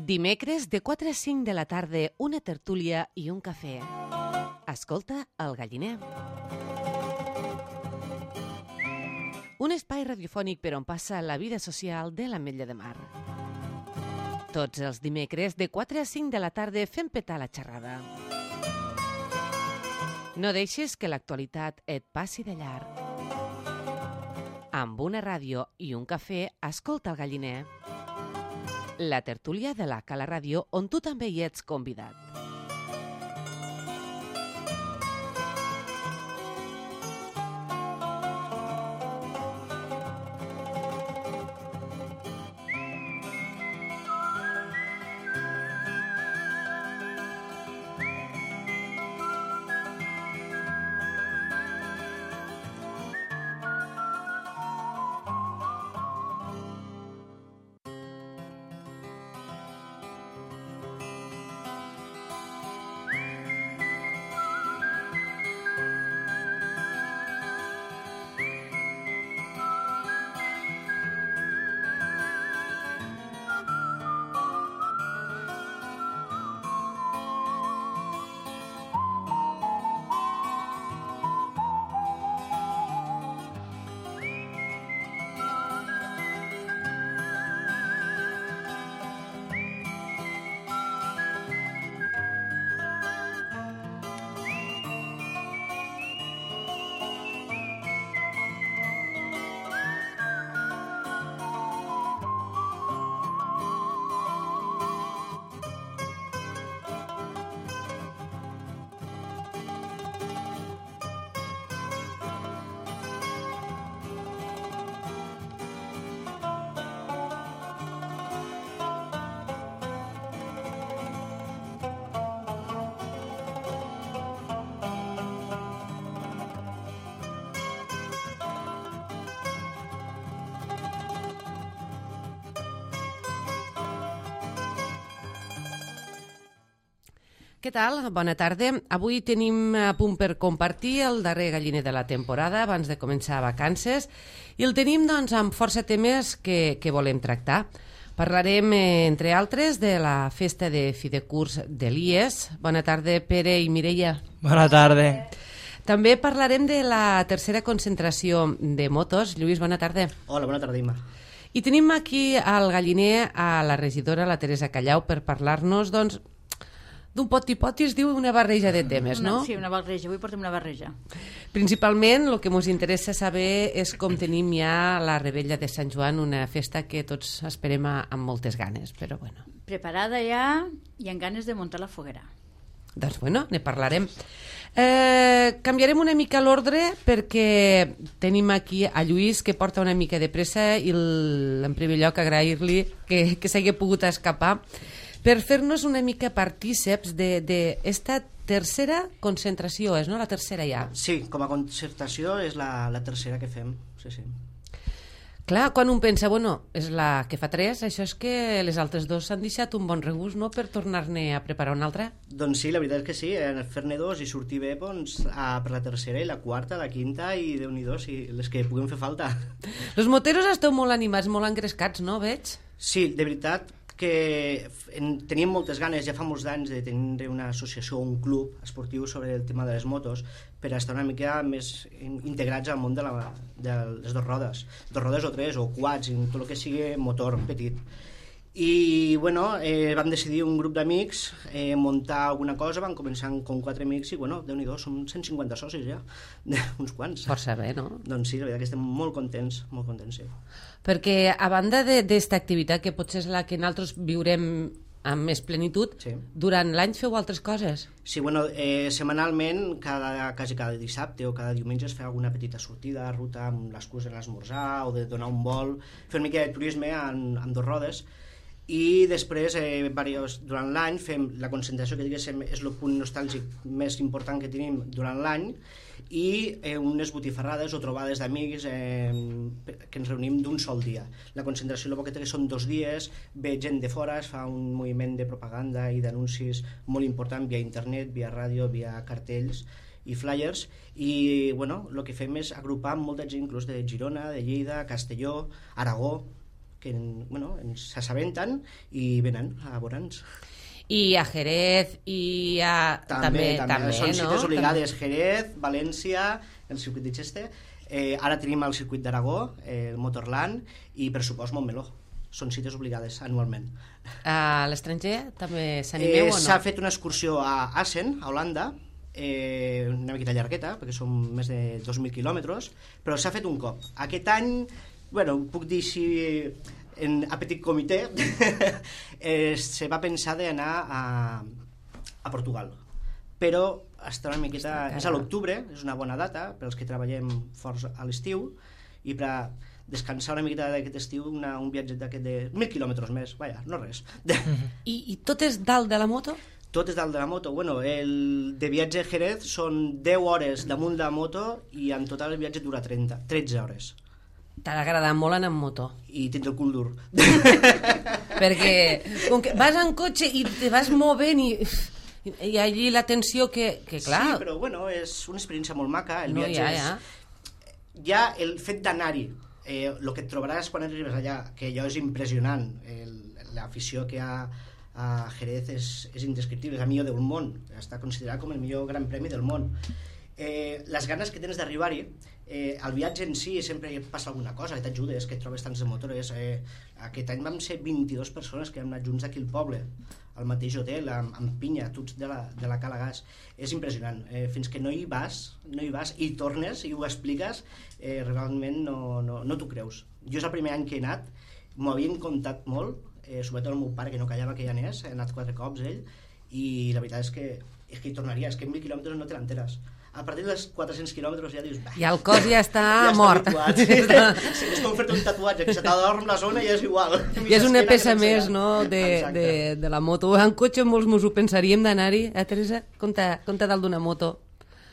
Dimecres de 4 a 5 de la tarda, una tertúlia i un cafè. Escolta El Galliner. Un espai radiofònic per on passa la vida social de l'Ametlla de Mar. Tots els dimecres de 4 a 5 de la tarda fem petar la xerrada. No deixis que l'actualitat et passi de llarg. Amb una ràdio i un cafè, escolta El Galliner. La tertúlia de la Cala Ràdio, on tu també hi ets convidat. Què tal? Bona tarda. Avui tenim a punt per compartir el darrer galliner de la temporada abans de començar vacances i el tenim doncs, amb força temes que volem tractar. Parlarem, entre altres, de la festa de fi de curs de l'IES. Bona tarda, Pere i Mireia. Bona tarda. També parlarem de la tercera concentració de motos. Lluís, bona tarda. Hola, bona tarda, Imma. I tenim aquí al galliner a la regidora, la Teresa Callau, per parlar-nos, doncs, d'un poti-poti, es diu una barreja de temes, no? Sí, una barreja. Avui portem una barreja. Principalment, el que ens interessa saber és com tenim ja la Rebella de Sant Joan, una festa que tots esperem amb moltes ganes, però bueno. Preparada ja i amb ganes de muntar la foguera. Doncs bueno, ne parlarem. Canviarem una mica l'ordre perquè tenim aquí a Lluís, que porta una mica de pressa, i en primer lloc agrair-li que s'hagi pogut escapar per fer-nos una mica partíceps d'esta tercera concentració, és, no? La tercera ja. Sí, com a concertació és la tercera que fem, sí. Clar, quan un pensa, bueno, és la que fa 3, això és que les altres 2 s'han deixat un bon regust, no?, per tornar-ne a preparar una altra. Doncs sí, la veritat és que sí, fer-ne 2 i sortir bé doncs, per la tercera i la quarta, la quinta i Déu-n'hi-do, sí, les que puguem fer falta. Los moteros esteu molt animats, molt engrescats, no, veig? Sí, de veritat que teníem moltes ganes ja fa molts anys de tenir una associació o un club esportiu sobre el tema de les motos per estar una mica més integrats al món de les 2 rodes o 3 o quads, tot el que sigui motor petit. I bueno, vam decidir un grup d'amics muntar alguna cosa, vam començar com 4 amics i bueno, Déu-n'hi-do, som 150 socis ja, uns quants. Força bé, no? Doncs sí, la veritat que estem molt contents, sí. Perquè a banda d'esta activitat, que potser és la que nosaltres viurem amb més plenitud, sí. Durant l'any feu altres coses? Sí, bueno, setmanalment, quasi cada dissabte o cada diumenge es fa alguna petita sortida a ruta amb l'excusa d'esmorzar o de donar un vol, fer una mica de turisme amb 2 rodes. I després, durant l'any, fem la concentració, que diguéssim és el punt nostàlgic més important que tenim durant l'any, i unes botifarrades o trobades d'amics que ens reunim d'un sol dia. La concentració el que té són 2 dies, ve gent de fora, es fa un moviment de propaganda i d'anuncis molt important via internet, via ràdio, via cartells i flyers, i bueno, el que fem és agrupar molta gent inclús de Girona, de Lleida, Castelló, Aragó, que ens s'assabenten i venen a veure'ns. I a Jerez i a... També, són cites no? obligades. Jerez, València, el circuit de Cheste, ara tenim el circuit d'Aragó, el Motorland, i per supost Montmeló. Són cites obligades anualment. A l'estranger també s'animeu o no? S'ha fet una excursió a Assen, a Holanda, una miqueta llargueta, perquè són més de 2.000 quilòmetres, però s'ha fet un cop. Aquest any, puc dir així, a petit comitè, se va pensar d'anar a Portugal. Però està una miqueta... És a l'octubre, és una bona data per als que treballem forts a l'estiu, i per descansar una miqueta d'aquest estiu, un viatge d'aquest de 1.000 quilòmetres més, vaja, no res. I tot és dalt de la moto? Tot és dalt de la moto. El de viatge a Jerez són 10 hores damunt de la moto i en total el viatge dura 13 hores. T'ha d'agradar molt anar amb moto. I tens el cul dur. Perquè com que vas en cotxe i te vas movent i allí la tensió que clar... Sí, però és una experiència molt maca. El no, viatge ja el fet d'anar-hi, el que et trobaràs quan arribes allà, que allò és impressionant, l'afició que hi ha a Jerez és indescriptible, és el millor del món, està considerat com el millor gran premi del món. Les ganes que tens d'arribar-hi, el viatge en si sempre passa alguna cosa, que t'ajudes, que et trobes tants de motores. Aquest any vam ser 22 persones que vam anar junts d'aquí al poble, al mateix hotel, amb pinya, tots de la Cala Gas. És impressionant. Fins que no hi vas i tornes i ho expliques, realment no t'ho creus. Jo és el primer any que he anat, m'ho havien contat molt, sobretot el meu pare, que no callava que hi anés, he anat 4 cops ell, i la veritat és que hi tornaria, és que en 1.000 quilòmetres no te l'enteres. A partir dels 400 quilòmetres ja dius... I el cos ja està mort. És com fer-te un tatuatge, que se t'adorm la zona i és igual. I és una peça més, no?, de la moto. En cotxe molts mos ho pensaríem d'anar-hi, Teresa? Compte dalt d'una moto.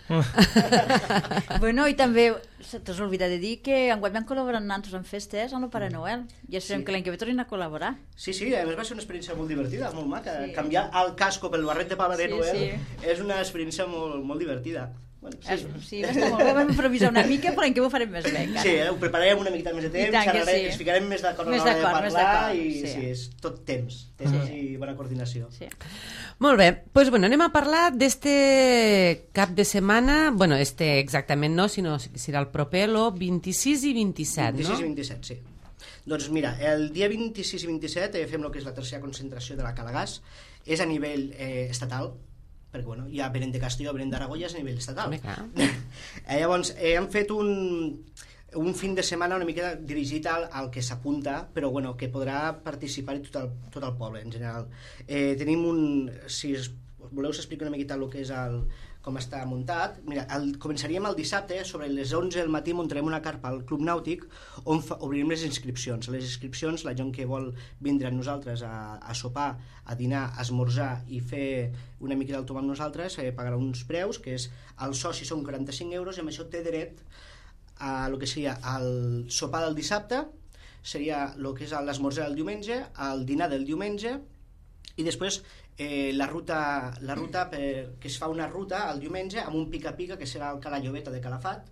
I també t'has oblidat de dir que enguany vam col·laborar amb nosaltres en festes amb el Pare Noel i esperem que l'any que ve tornin a col·laborar. Sí, a més va ser una experiència molt divertida, molt maca. Canviar el casco pel barret de Pare Noel és una experiència molt divertida. Sí, va estar molt bé, vam improvisar una mica, però l'any que ve ho farem més bé encara. Sí, ho prepararem una miqueta més de temps, ens ficarem més d'acord a l'hora de parlar i és tot temps i bona coordinació. Molt bé, doncs anem a parlar d'este cap de setmana, exactament no, sinó que serà el proper, el 26 i 27, no? 26 i 27, sí. Doncs mira, el dia 26 i 27 fem el que és la tercera concentració de la Cala Gas, és a nivell estatal, perquè hi ha Benent de Castelló, Benent d'Aragó, ja és a nivell estatal. Llavors, hem fet un fin de setmana una mica dirigit al que s'apunta, però que podrà participar tot el poble en general. Tenim si voleu s'explica una miqueta el que és com està muntat. Mira, començaríem el dissabte, sobre les 11 del matí muntarem una carpa al Club Nàutic on obrirem les inscripcions. Les inscripcions, la gent que vol vindre amb nosaltres a sopar, a dinar, a esmorzar i fer una mica del tom amb nosaltres, pagarà uns preus, que és el soci són 45 euros i amb això té dret a el que seria el sopar del dissabte, seria el que és l'esmorzar del diumenge, el dinar del diumenge i després la ruta que es fa una ruta el diumenge amb un pica-pica que serà el Cala Llobeta de Calafat,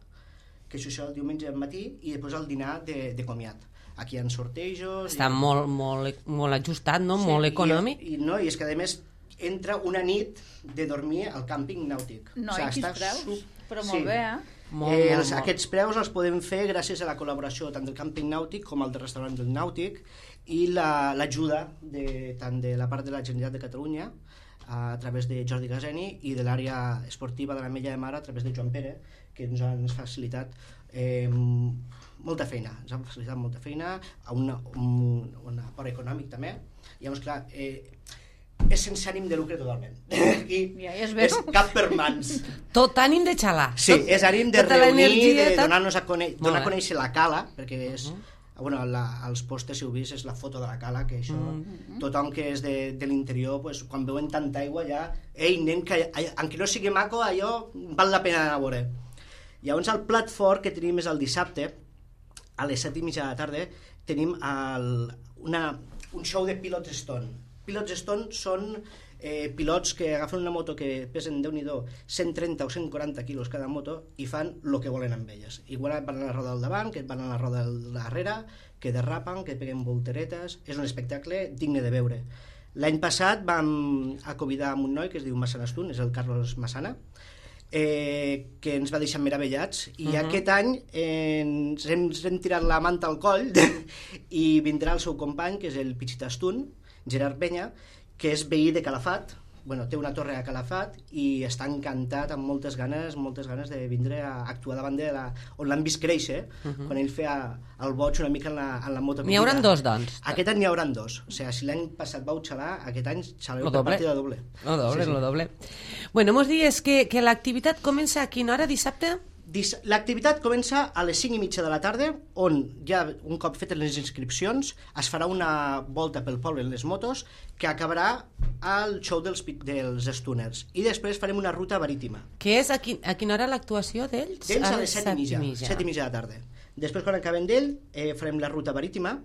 que això el diumenge al matí, i després el dinar de comiat. Aquí hi ha sortejos... Està molt ajustat, no? Molt econòmic. I és que a més entra una nit de dormir al càmping nàutic. No, i quins preus? Però molt bé, Aquests preus els podem fer gràcies a la col·laboració tant del càmping nàutic com el del restaurant del nàutic i l'ajuda tant de la part de la Generalitat de Catalunya a través de Jordi Gaseni i de l'àrea esportiva de l'Ametlla de Mar a través de Joan Pere, que ens han facilitat molta feina, a un aport econòmic també. Llavors, clar, és sense ànim de lucre totalment. Aquí és cap per mans. Tot ànim de xalar. Sí, és ànim de reunir, de donar-nos a conèixer la cala, perquè és... als pòsters, si ho vist, és la foto de la cala, que això, tothom que és de l'interior, quan veuen tanta aigua ja, ei, nen, que encara no sigui maco, allò val la pena anar a veure. Llavors el plat fort que tenim és el dissabte, a les 7:30 de la tarda, tenim un show de Pilots Stone. Pilots Stone són pilots que agafen una moto que pesen, Déu-n'hi-do, 130 o 140 quilos cada moto i fan el que volen amb elles. Igual van a la roda del davant, que van a la roda del darrere, que derrapen, que peguen volteretes. És un espectacle digne de veure. L'any passat vam convidar amb un noi que es diu Massana Stun, és el Carlos Massana, que ens va deixar meravellats, i aquest any ens hem tirat la manta al coll i vindrà el seu company, que és el Pichita Stun, Gerard Penya, que és veí de Calafat, té una torre a Calafat i està encantat, amb moltes ganes de vindre a actuar davant on l'han vist créixer, quan ell feia el boig una mica en la moto. N'hi hauran dos, doncs. Aquest any n'hi hauran dos. O sigui, si l'any passat vau xalar, aquest any xaleu per partida doble. Lo doble. Bueno, mos dies que l'activitat comença a quina hora, dissabte? L'activitat comença a les 5:30 de la tarda, on ja un cop fetes les inscripcions es farà una volta pel poble en les motos que acabarà al show dels Stuners, i després farem una ruta marítima. Que és a quina hora l'actuació d'ells? D'ells a les 7:30 de la tarda. Després, quan acabem d'ell, farem la ruta marítima.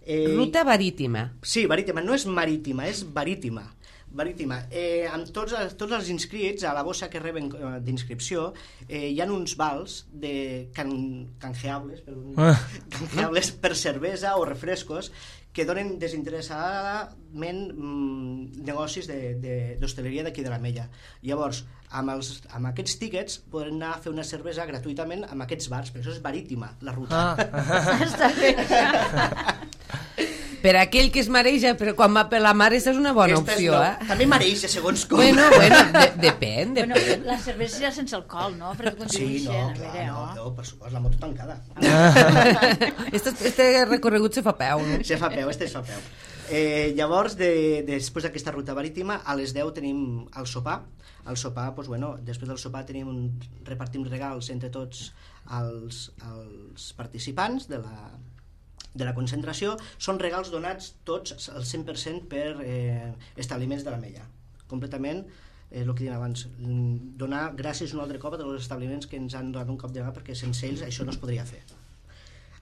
Ruta marítima? Sí, marítima, no és marítima, és marítima. Amb tots els inscrits a la bossa que reben d'inscripció hi ha uns vals canjeables per cervesa o refrescos que donen desinteressadament negocis d'hostaleria d'aquí de l'Ametlla. Llavors, amb aquests tíquets podran anar a fer una cervesa gratuïtament amb aquests bars, per això és marítima la ruta. Està bé. Per aquell que es mareja, però quan va per la mar, és una bona opció, També mareja, segons com. Bueno, depèn. La cervesa serà sense alcohol, no? Sí, no, per supost, la moto tancada. Este recorregut se fa peu, no? Se fa peu. Llavors, després d'aquesta ruta marítima, a les 10 tenim el sopar. El sopar, després del sopar repartim regals entre tots els participants de la concentració. Són regals donats tots al 100% per establiments de l'Ametlla. Completament, el que dèiem abans, donar gràcies un altre cop a tots els establiments que ens han donat un cop de mà, perquè sense ells això no es podria fer.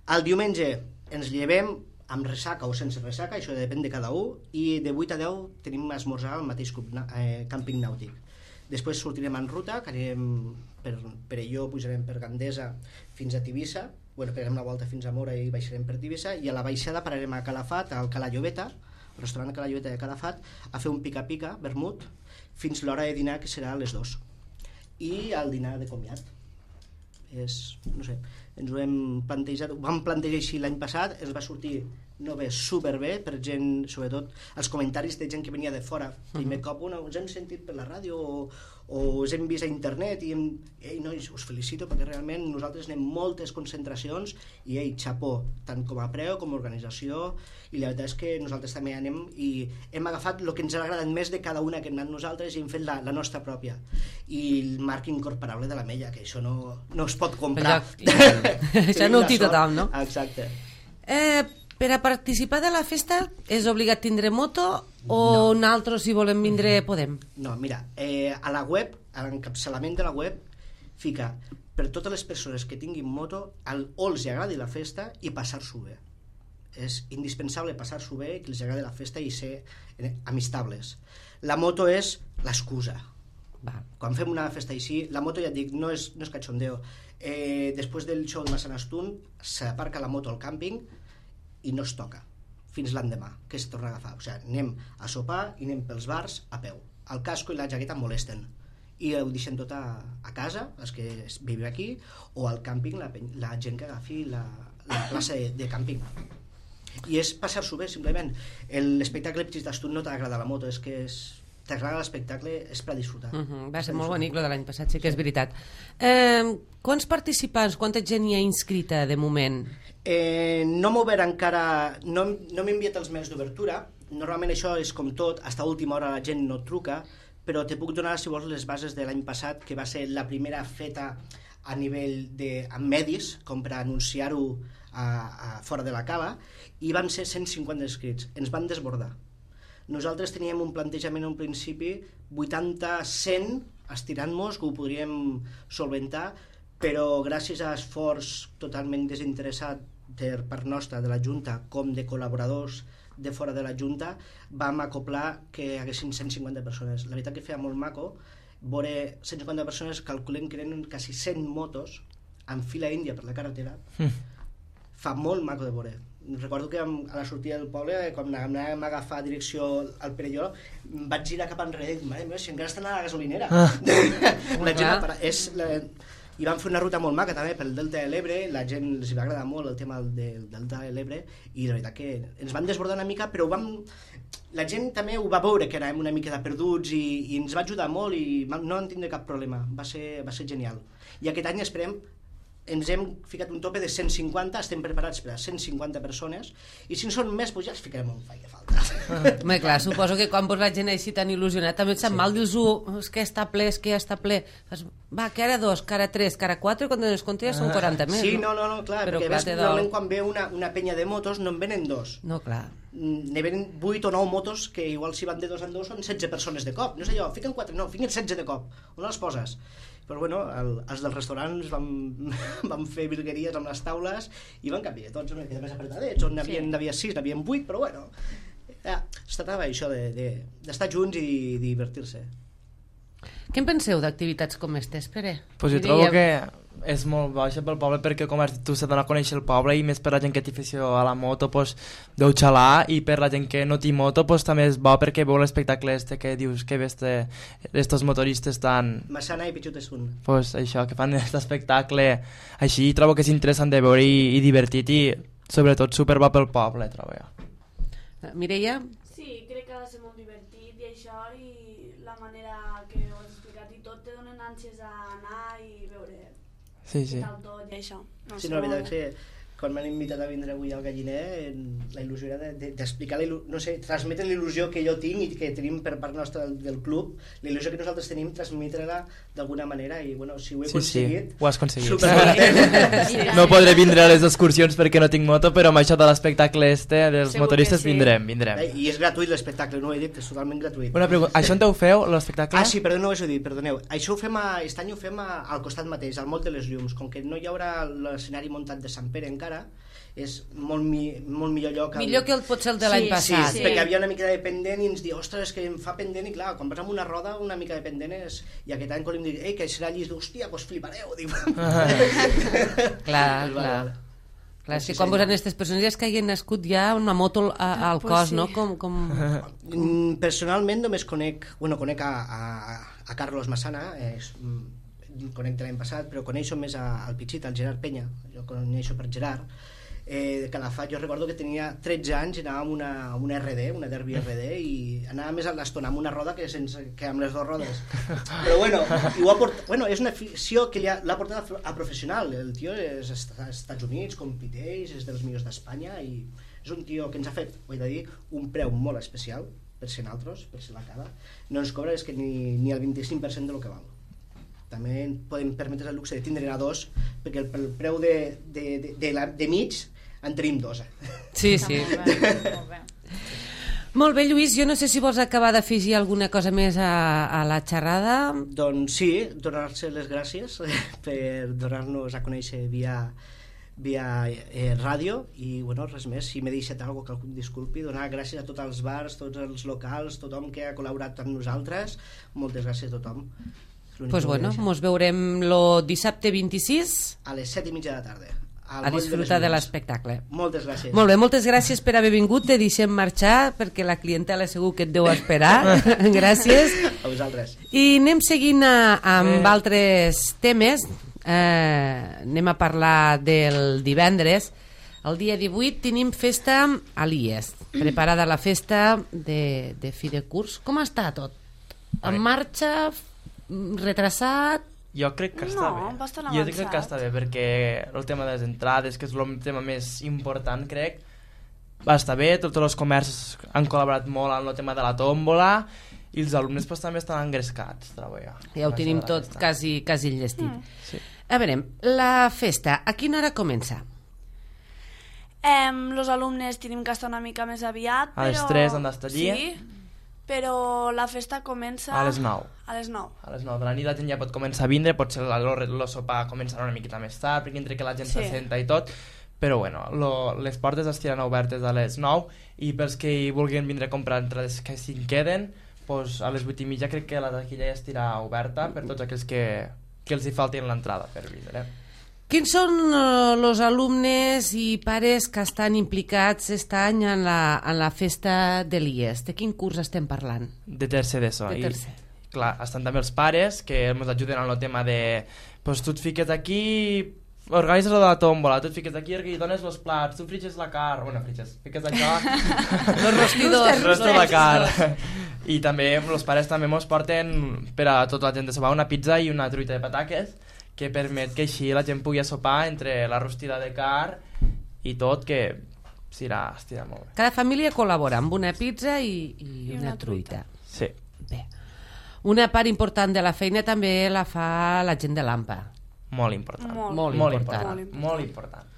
El diumenge ens llevem amb ressaca o sense ressaca, això depèn de cada un, i de 8 a 10 tenim esmorzar al mateix càmping nàutic. Després sortirem en ruta, que anirem per Perelló, pujarem per Gandesa fins a Tivissa, pegarem la volta fins a Mora i baixarem per Tivissa, i a la baixada pararem a Calafat, al Cala Llobeta, al restaurant Cala Llobeta de Calafat, a fer un pica-pica, vermut, fins l'hora de dinar, que serà a les 2. I el dinar de comiat. Ens ho hem plantejat, ho vam plantejar així l'any passat, ens va sortir superbé, per gent, sobretot els comentaris de gent que venia de fora. Primer cop us hem sentit per la ràdio o us hem vist a internet i nois, us felicito perquè realment nosaltres anem moltes concentracions i xapó, tant com a preu com a organització, i la veritat és que nosaltres també anem i hem agafat el que ens ha agradat més de cada una que hem anat nosaltres i hem fet la nostra pròpia, i el marc incorporable de l'Ametlla, que això no es pot comprar. Això no ho té tothom, no? Exacte. Per a participar de la festa és obligat tindre moto o nosaltres, si volem vindre, podem? No, mira, a la web, a l'encapçalament de la web, fica per totes les persones que tinguin moto o els agradi la festa i passar-s'ho bé. És indispensable passar-s'ho bé, que els agradi la festa i ser amistables. La moto és l'excusa. Quan fem una festa així, la moto, ja et dic, no és cachondeo. Després del show de Massana Stun s'aparca la moto al càmping i no es toca fins l'endemà, que es torna a agafar. O sigui, anem a sopar i anem pels bars a peu. El casco i la jaqueta molesten i ho deixem tot a casa, els que vivim aquí, o al càmping, la gent que agafi la plaça de càmping. I és passar-s'ho bé, simplement. L'espectacle Pichis d'Astun no t'agrada la moto, és que t'agrada l'espectacle, és per disfrutar. Va ser molt bonic lo de l'any passat, sí que és veritat. Quants participants, quanta gent hi ha inscrita de moment? No m'ho ver encara, no m'he enviat els mails d'obertura. Normalment això és com tot, fins a última hora la gent no truca, però te puc donar, si vols, les bases de l'any passat, que va ser la primera feta a nivell amb medis, com per anunciar-ho fora de la cala, i van ser 150 inscrits. Ens van desbordar. Nosaltres teníem un plantejament en principi 80-100 estirant-nos, que ho podríem solventar, però gràcies a esforç totalment desinteressat per part nostra, de la Junta, com de col·laboradors de fora de la Junta, vam acoplar que hi haguessin 150 persones. La veritat que feia molt maco veure 150 persones, calculem que eren quasi 100 motos en fila índia per la carretera. Fa molt maco de veure. Recordo que a la sortida del poble, quan anàvem a agafar direcció al Perelló, vaig girar cap enrere i dic, mare meva, si encara estan a la gasolinera. La gent i vam fer una ruta molt maca també pel Delta de l'Ebre, la gent els va agradar molt el tema del Delta de l'Ebre i la veritat que ens van desbordar una mica, però la gent també ho va veure que anàvem una mica de perduts i ens va ajudar molt i no en tindré cap problema, va ser genial. I aquest any esperem, ens hem ficat un tope de 150, estem preparats per a 150 persones i si en són més, doncs ja els ficarem on faci falta. Home, clar, suposo que quan la gent així tan il·lusionat també et sap mal, dius, és que està ple, és que ja està ple. Va, que ara 2, que ara 3, que ara 4, i quan te'n compte ja són 40 més. Sí, no, clar, però perquè ves, normalment quan ve una penya de motos no en venen 2. No, clar. Ne venen 8 o 9 motos que igual si van de 2 en 2 són 16 persones de cop. No és allò, fiquen 4, no, fiquen 16 de cop. On les poses? Però bueno, els dels restaurants vam fer virgueries amb les taules i van canviar tots una mica més apretadets, on n'havia 6, n'havien 8, però bueno, es tractava això d'estar junts i divertir-se. Què en penseu d'activitats com aquestes, Pere? Pues jo trobo que és molt baixa pel poble perquè, com has dit tu, s'ha d'anar a conèixer el poble i més per la gent que té afició a la moto pues, deu xalar i per la gent que no té moto pues, també és bo perquè veu l'espectacle que dius que ves d'estos motoristes tan... Massana i Pichutesun. Pues això, que fan aquest espectacle així, trobo que és interessant de veure i divertit i sobretot superbo pel poble, trobo jo. Mireia? Sí, crec que ha de ser molt divertit i això i la manera que ho has explicat i tot te donen ànsies a anar i veure sí. tal tot i això. No, sí, no, la veritat que quan m'han invitat a vindre avui al Galliner, la il·lusió era d'explicar, no sé, transmetre l'il·lusió que jo tinc i que tenim per part nostra del club, la il·lusió que nosaltres tenim, transmetre-la d'alguna manera i, bueno, si ho he aconseguit... Sí, ho has aconseguit. Supercontent. No podré vindre a les excursions perquè no tinc moto, però amb això de l'espectacle dels motoristes vindrem. I és gratuït l'espectacle, no ho he dit, és totalment gratuït. Una pregunta, això on ho feu, l'espectacle? Ah, sí, perdó, no ho he dit, perdoneu. Això aquest any ho fem al costat mateix, al Moll de les Llums, com que no hi haurà l'escenari muntat de Sant Pere encara, és molt millor lloc millor que potser el de l'any passat sí, perquè havia una mica de pendent i ens diu, ostres, és que em fa pendent i clar, quan vas amb una roda una mica de pendent és... i aquest any quan em dic, que serà llis d'hòstia, doncs flipareu dic. clar, si quan vos han aquestes persones és que hagin nascut ja una moto al cos, no? Personalment només conec a Carlos Massana, conec de l'any passat, però coneixo més al Pichit, al Gerard Penya, jo coneixo per Gerard, Calafat. Jo recordo que tenia 13 anys i anàvem amb una RD, una Derby RD, i anava més a l'estona amb una roda que amb les dues rodes. Però bueno, és una afició que l'ha portat a professional. El tio és als Estats Units, competeix, és dels millors d'Espanya i és un tio que ens ha fet, ho he de dir, un preu molt especial per ser nosaltres, per ser la cara. No ens cobra és que ni el 25% del que val. També podem permetre el luxe de tindre a 2 perquè el preu de mig en tenim 2. Sí. Molt bé, Lluís, jo no sé si vols acabar d'afegir alguna cosa més a la xerrada. Doncs sí, donar-se les gràcies per donar-nos a conèixer via ràdio i bueno, res més, si m'he deixat alguna cosa que algú disculpi, donar gràcies a tots els bars, tots els locals, tothom que ha col·laborat amb nosaltres, moltes gràcies a tothom. Pues bueno, mos veurem el dissabte 26 a les 7:30 de la tarda a disfrutar de l'espectacle. Moltes gràcies. Molt bé, moltes gràcies per haver vingut, te deixem marxar perquè la clientela segur que et deu esperar. Gràcies. A vosaltres. I anem seguint amb altres temes. Anem a parlar del divendres. El dia 18 tenim festa a l'IES, preparada la festa de fi de curs. Com està tot? En marxa? Retrasat? Jo crec que està bé. Bastant jo crec que està bé perquè el tema de les entrades, que és el tema més important, crec, va estar bé. Tots els comerços han col·laborat molt en el tema de la tòmbola i els alumnes pues, també estan engrescats, trobo jo. Ja ho tenim tot quasi enllestit. Sí. A veure, la festa, a quina hora comença? Els alumnes tenim que estar una mica més aviat, a les 3 han d'estar allí. Sí, però la festa comença... A les 9. A les 9. A les 9 de la nit la gent ja pot començar a vindre, potser el sopar començarà una miqueta més tard, perquè entre que la gent s'assenta i tot, però bueno, les portes estiran obertes a les 9 i pels que hi vulguin vindre a comprar entrades que si en queden, pues a les 8:30 crec que la taquilla ja estirà oberta per tots aquells que els hi faltin l'entrada per vindre. Quins són els alumnes i pares que estan implicats aquest any en la festa de l'IES? De quin curs estem parlant? De tercer d'ESO. De tercer. Clar, estan també els pares que ens ajuden en el tema de pues tu et fiques aquí, organitzes la tòmbola, tu et fiques aquí i dones els plats, tu friges la carn, bueno, fiques això Los rostidors. rosto la carn. I també els pares també mos porten per a tota la gent de sopar una pizza i una truita de pataques que permet que així la gent pugui sopar entre la rostida de carn i tot, que estirà molt bé. Cada família col·labora amb una pizza i una truita. Sí. Bé. Una part important de la feina també la fa la gent de l'AMPA. Molt important. Molt important.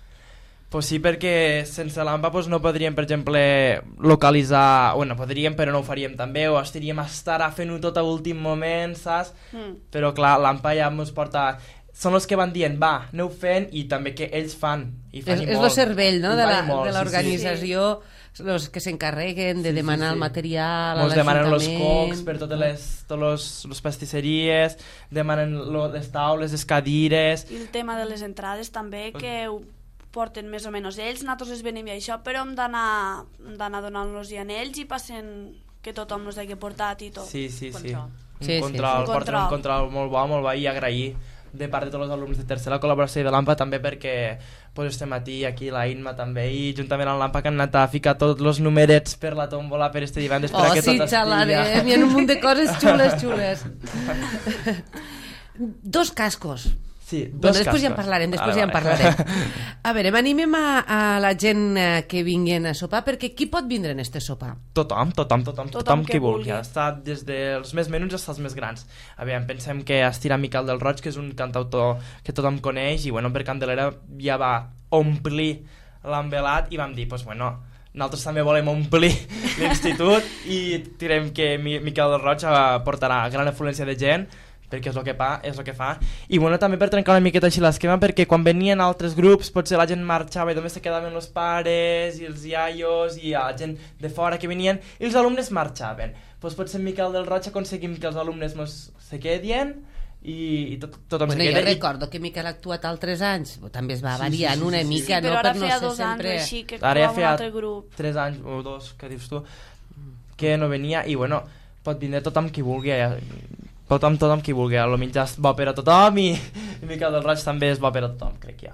Pues sí, perquè sense l'AMPA pues, no podríem, per exemple, localitzar... Bueno, podríem, però no ho faríem també, o estaríem a estar fent-ho tot a l'últim moment, saps? Però clar, l'AMPA ja ens porta... Són els que van dient, va, aneu fent, i també que ells fan. I fan És el cervell, no?, de l'organització, sí. Els que s'encarreguen de demanar el material a l'Ajuntament. Ens demanen els cocs per totes les pastisseries, demanen les taules, les cadires... I el tema de les entrades també, que ho porten més o menys ells, nosaltres es venim i això, però hem d'anar donant-los i a ells i passen que tothom nos hagi portat i tot. Sí. Un control, porten un control molt bo i agrair de part de tots els alumnes de tercera col·laboració i de l'AMPA també, perquè pues, estem aquí la INMA també, i juntament amb l'AMPA que han anat a ficar tots els numerets per la tòmbola per este divendres per que sí, tot xalarem, hi ha un munt de coses xules. 2 cascos. Sí, després ja en parlarem, A veure, animem a la gent que vinguin a sopar, perquè qui pot vindre en este sopar? Tothom que vulgui. Està des dels més menuts fins als més grans. A veure, pensem que Estira Miquel del Roig, que és un cantautor que tothom coneix, i bueno, per Candelera ja va omplir l'envelat i vam dir, pues bueno, nosaltres també volem omplir l'institut i direm que Miquel del Roig portarà gran afluència de gent, perquè és el que fa, i bueno, també per trencar una miqueta així l'esquema, perquè quan venien altres grups potser la gent marxava i només se quedaven els pares i els iaios i la gent de fora que venien i els alumnes marxaven. Pues potser en Miquel del Roig aconseguim que els alumnes se quedin i tothom se queda. Jo recordo que Miquel ha actuat altres anys, també es va variant una mica, però no? ara Per no feia ser 2 sempre... anys així que ara ja actuava un altre grup. 3 anys o 2, que dius tu, que no venia, i bueno, pot vindre tothom qui vulgui, tothom qui vulgui, el mitjà és bo per a tothom i Miquel del Roig també és bo per a tothom, crec que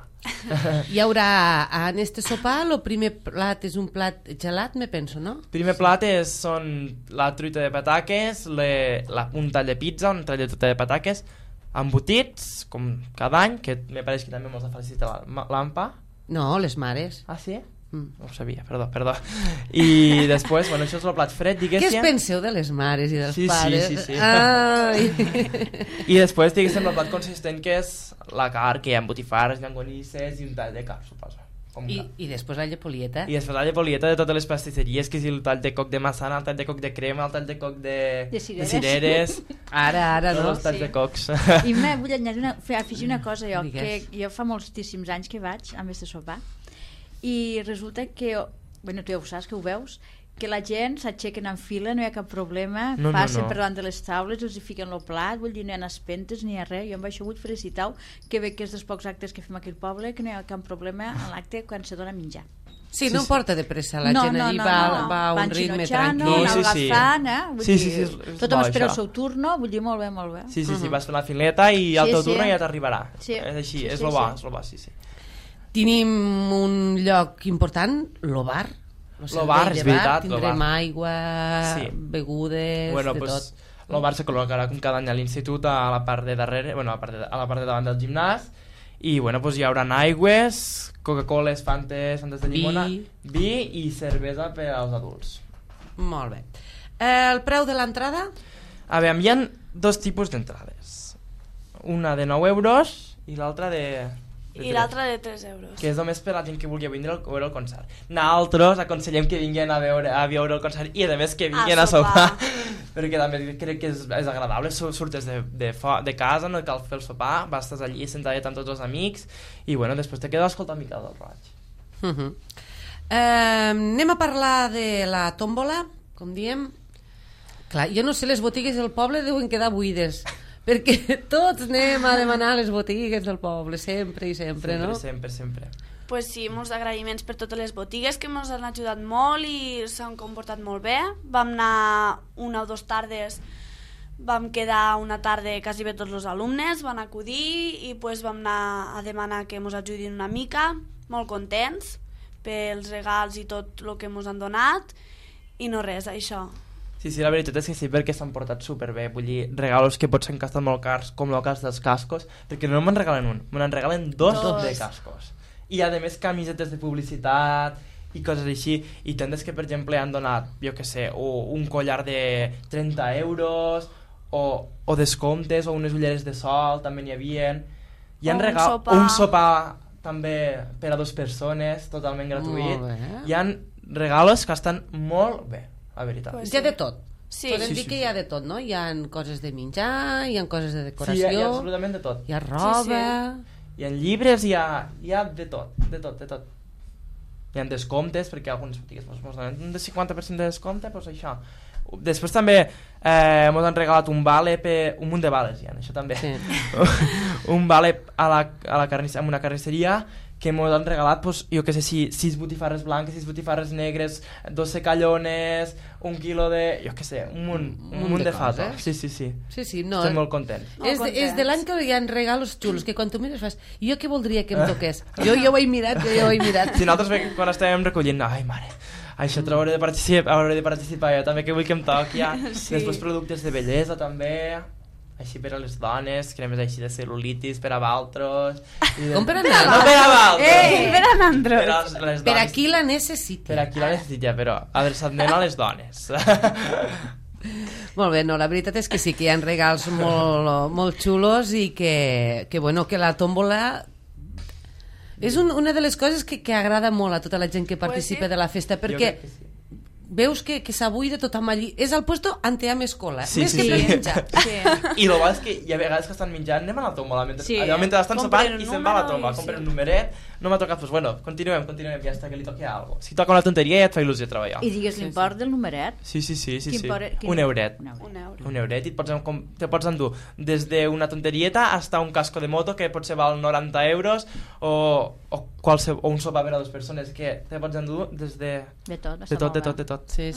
Hi haurà en este sopar, el primer plat és un plat gelat, me penso, no? El primer plat són la truita de pataques, un tall de pizza, un tall de truita de pataques, embotits, com cada any, que me pareix que també mos ha felicitat l'AMPA. No, les mares. Ah, sí? No ho sabia, perdó. I després, bueno, això és el plat fred, diguéssim. Què es penseu de les mares i dels pares? Sí. Ai. I després, diguéssim, el plat consistent, que és la carn, que hi ha botifarres, llonganisses i un tall de carn, suposo. I després la llepolieta. I després la llepolieta de totes les pastisseries, que és el tall de coc de massana, el tall de coc de crema, el tall de coc de cireres. Ara, no? Els talls de cocs. I vull afegir una cosa, jo, que jo fa moltíssims anys que vaig amb este sopar, i resulta que, bueno, tu ja ho saps, que ho veus, que la gent s'aixequen en fila, no hi ha cap problema, passen per davant de les taules, els hi fiquen el plat, vull dir, no hi ha espentes ni hi ha res. Jo amb això vull felicitar que bé que és dels pocs actes que fem aquí al poble, que no hi ha cap problema en l'acte quan se dona a menjar. Sí, no porta de pressa, la gent allí va a un ritme tranquil. Tothom espera el seu turno, vull dir, molt bé. Sí, vas fer la fileta i el teu turno ja t'arribarà. És així, és lo bo, sí. Tenim un lloc important, lo bar. Lo bar, és veritat. Tindrem aigua, begudes, de tot. El bar se col·locarà com cada any a l'institut a la part de darrere, a la part de davant del gimnàs, i bueno, hi haurà aigües, Coca-Coles, Fantes de llimona, vi i cervesa per als adults. Molt bé. El preu de l'entrada? A veure, hi ha 2 tipus d'entrades. Una de 9 euros i l'altra de... I l'altra de 3 euros. Que és només per a la gent que vulgui vindre a veure el concert. Nosaltres aconsellem que vinguin a veure el concert i a més que vinguin a sopar. Perquè també crec que és agradable, surtes de casa, no cal fer el sopar, vas estar allí sentat amb tots els amics i bueno, després te quedes escoltant Miquel del Roig. Anem a parlar de la tòmbola, com diem. Clar, jo no sé, les botigues del poble deuen quedar buides, perquè tots anem a demanar les botigues del poble, sempre i sempre, no? Sempre. Pues sí, molts agraïments per totes les botigues que ens han ajudat molt i s'han comportat molt bé. Vam anar una o dues tardes, vam quedar una tarda quasi bé tots els alumnes, van acudir i pues vam anar a demanar que ens ajudin una mica, molt contents pels regals i tot el que ens han donat i no res, això. Sí, la veritat és que sí, perquè s'han portat superbé. Vull dir, regalos que potser han costat molt cars, com el cas dels cascos, perquè no me'n regalen un, me'n regalen dos de cascos. I a més camisetes de publicitat i coses així, i tendes que per exemple han donat, jo que sé, un collar de 30 euros o descomptes o unes ulleres de sol també n'hi havia, i han regalat un sopar també per a 2 persones totalment gratuït. Hi han regalos que estan molt bé, la veritat. Hi ha de tot. Sí. Podem dir que hi ha de tot, no? Hi ha coses de menjar, hi ha coses de decoració... Sí, hi ha absolutament de tot. Hi ha roba... Hi ha llibres, hi ha de tot. Hi ha descomptes, perquè algunes botigues ens donen un 50% de descompte, doncs això. Després també ens han regalat un vale un munt de vales, això també. Sí. Un vale amb una carnisseria que ens han regalat, pues, jo que sé, 6 botifarres blanques, 6 botifarres negres, 2 secallones, 1 quilo de... jo que sé, un munt de fato. Sí, no, estem molt contents. És de l'any que hi ha regalos xulos, que quan tu mires fas, jo què voldria que em toqués? Jo ho he mirat. Si nosaltres quan estàvem recollint, ai mare, això hauré de participar jo també, que vull que em toqui ja. Sí. Després productes de bellesa també, així per a les dones, cremes així de cel·lulitis per a valtros. Com per a naltros? No per a valtros. Per a naltros. Per a qui la necessita. Per a qui la necessita, però adreçat-ment a les dones. Molt bé, no, la veritat és que sí que hi ha regals molt xulos i que la tòmbola és una de les coses que agrada molt a tota la gent que participa de la festa, perquè veus que s'abuida tothom allí. És el puesto ante a més cola, més que per menjar. I el bo és que hi ha vegades que estan menjant, anem a la tòmbola, mentre estan sopant i se'n va a la tòmbola, compren un numeret, no m'ha tocat, doncs bueno, continuem, ja està, que li toqui alguna cosa. Si toca una tonteria ja et fa il·lusió treballar. I digues l'import del numeret? Sí. Un euret. Un euret, i te pots endur des d'una tonterieta fins a un casco de moto que potser val 90 euros o un sopar per a 2 persones, que te pots endur des de tot. Sí.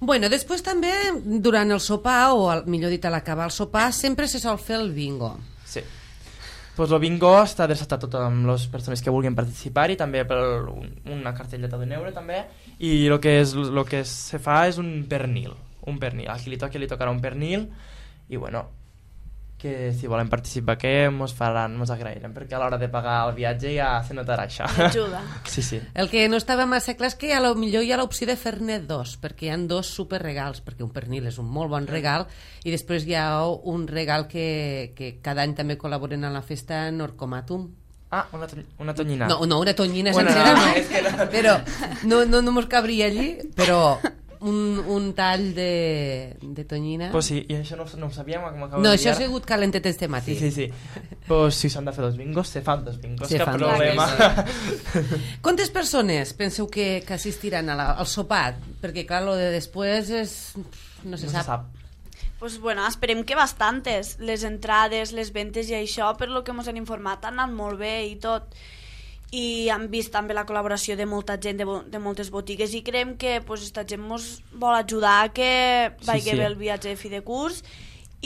Bueno, després també, durant el sopar, o millor dit, a l'acabar el sopar, sempre se sol fer el bingo. Sí. Pues el bingo està adreçat a totes les persones que vulguin participar i també per una cartelleta d'un euro també, i el que se fa és un pernil. A qui li tocarà un pernil, i bueno, que si volen participar que mos agrairem, perquè a l'hora de pagar el viatge ja se notarà això. Ajuda. Sí. El que no estava massa clar és que millor hi ha l'opció de fer-ne 2, perquè hi ha 2 superregals, perquè un pernil és un molt bon regal, i després hi ha un regal que cada any també col·laboren a la festa, Norcomatum. Ah, una tonyina. No, una tonyina sencera no, però no mos cabria allí, però un tall de tonyina. Pues sí, i això no ho sabíem. No, això ha sigut calentet este matí. Sí. Pues si s'han de fer 2 bingos, se fan 2 bingos, cap problema. Quantes persones penseu que assistiran al sopar? Perquè clar, lo de després no se sap. Pues bueno, esperem que bastantes. Les entrades, les ventes i això, per lo que ens han informat, han anat molt bé i tot. I han vist també la col·laboració de molta gent, de moltes botigues, i creiem que esta gent ens vol ajudar a que vagi bé el viatge de fi de curs.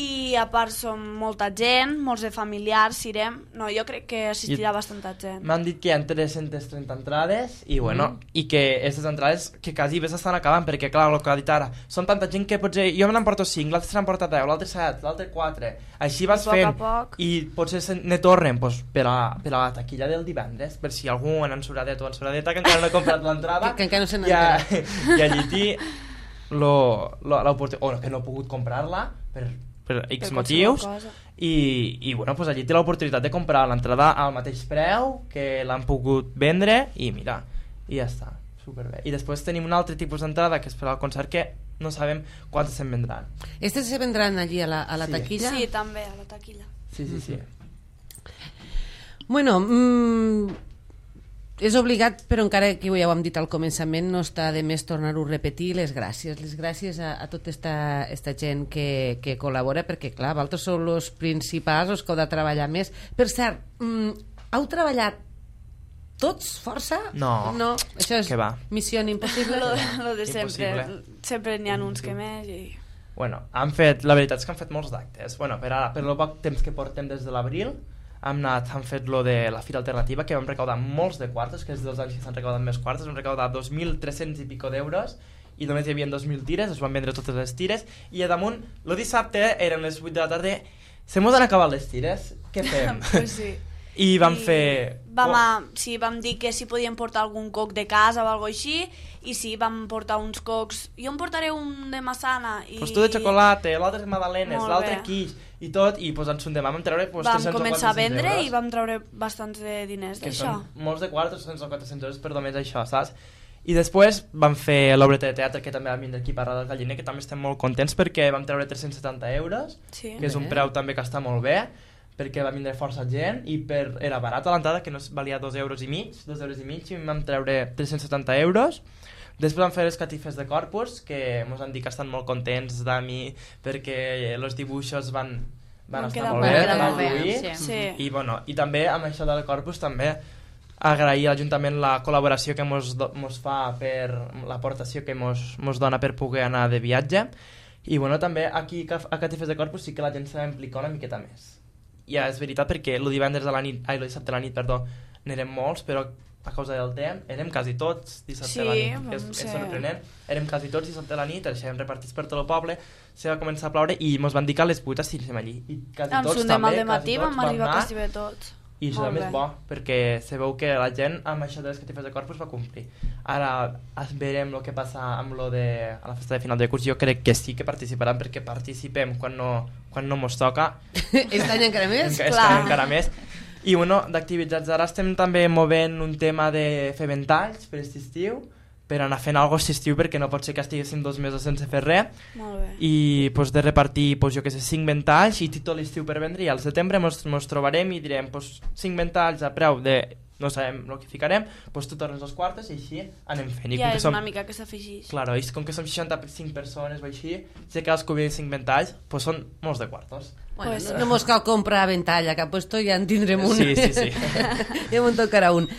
I a part som molta gent, molts de familiars, irem. No, jo crec que assistirà bastanta gent. M'han dit que hi ha 330 entrades i bueno, i que aquestes entrades que quasi bé s'estan acabant, perquè clar, el que ha dit ara, són tanta gent que potser jo me n'emporto 5, l'altre se n'emporta 10, l'altre 7, l'altre 4, així vas fent, i potser ne tornen per a la taquilla del divendres, per si algú en ensuradeta o ensuradeta que encara no ha comprat l'entrada, que encara no se n'entera, i allí té l'oportunitat, o que no ha pogut comprar-la per X motius, i bueno, pues allí té l'oportunitat de comprar l'entrada al mateix preu que l'han pogut vendre, i mira, i ja està, superbé. I després tenim un altre tipus d'entrada que és per al concert, que no sabem quantes se'n vendran. Estes se vendran allí a la taquilla? Sí, també a la taquilla. Sí. Bueno, és obligat, però encara que ja ho hem dit al començament, no està de més tornar-ho a repetir, les gràcies a tota esta gent que col·labora, perquè clar, vosaltres sou els principals, els que heu de treballar més. Per cert, heu treballat tots força? No. Això és missió impossible. Lo de sempre. Impossible. Sempre n'hi ha uns que més i... Bueno, la veritat és que han fet molts d'actes. Bueno, per el poc temps que portem des de l'abril, han fet lo de la Fira Alternativa, que vam recaudar molts de quartos, que és dels anys que s'han recaudat més quartos, vam recaudar 2.300 i pico d'euros, i només hi havia 2.000 tires, es van vendre totes les tires, i a damunt, el dissabte, eren les 8 de la tarda, se mos han acabat les tires, què fem? Pues sí. I vam fer... Vam dir que si podíem portar algun coc de casa o alguna cosa així, i sí, vam portar uns cocs. Jo em portaré un de massana. Pues tu de xocolata, l'altre de magdalenes, l'altre quiche, i tot, i pues ens vam treure pues, 300 vam començar a vendre euros, i vam treure bastants de diners d'això. Que són molts de quarts, 300 o 400 euros per només això, saps? I després vam fer l'obreta de teatre, que també vam vindre aquí a Parra del Galliner, que també estem molt contents perquè vam treure 370 euros, sí, que és un preu també que està molt bé, perquè va vindre força gent i era barat a l'entrada, que no valia 2,5 euros, i vam treure 370 euros. Després vam fer les catifes de Corpus, que ens han dit que estan molt contents de mi perquè els dibuixos van estar molt bé, van fluir. Sí. I també amb això del Corpus també agrair a l'Ajuntament la col·laboració que mos fa per l'aportació que mos dona per poder anar de viatge. I també aquí a catifes de Corpus sí que la gent s'ha d'implicar una miqueta més. Ja, és veritat, perquè el dissabte a la nit, n'érem molts, però a causa del temps, érem quasi tots dissabte a la nit, és sorprenent, érem quasi tots dissabte a la nit, deixàvem repartits per tot el poble, se va començar a ploure i ens van dir que a les 8 estiguéssim allí, i quasi tots també, vam arribar quasi bé tots. I això també és bo, perquè se veu que la gent amb això de les catifes de Corpus va complir. Ara verem el que passa amb lo de a la festa de final de curs. Jo crec que sí que participaran, perquè participem quan no mos toca. Aquest any encara més? Encara més. I d'activitats ara estem també movent un tema de fer ventalls per aquest estiu, per anar fent alguna cosa estiu, perquè no pot ser que estiguéssim 2 mesos sense fer res. Molt bé. I de repartir, jo que sé, 5 ventalls i tot l'estiu per vendre, i al setembre mos trobarem i direm 5 ventalls a preu de... no sabem el que ficarem, tu tornes els quartos i així anem fent. Ja és una mica que s'afegeix. Claro, i com que som 65 persones o així, si cadascú ve 5 ventalls, són molts de quartos. Bueno, no mos cal comprar ventall a cap puesto, ja en tindrem un. Sí. Ja me'n tocarà un.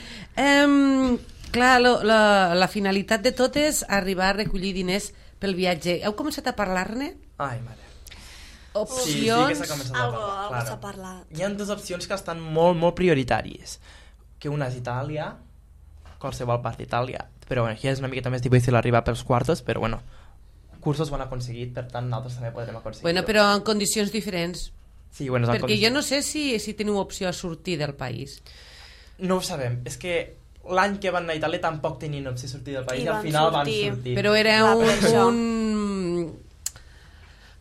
Clar, la finalitat de tot és arribar a recollir diners pel viatge. Heu començat a parlar-ne? Ai, mare. Opcions... Sí que s'ha començat a parlar. Algo s'ha parlat. Hi ha 2 opcions que estan molt, molt prioritàries. Que una és Itàlia, qualsevol part d'Itàlia, però aquí és una miqueta més difícil arribar pels quartos, però cursos ho han aconseguit, per tant nosaltres també podrem aconseguir. Però en condicions diferents. Sí, perquè jo no sé si teniu opció a sortir del país. No ho sabem, és que l'any que van anar a Itàlia tampoc tenien opció a sortir del país i al final van sortir. Però era un...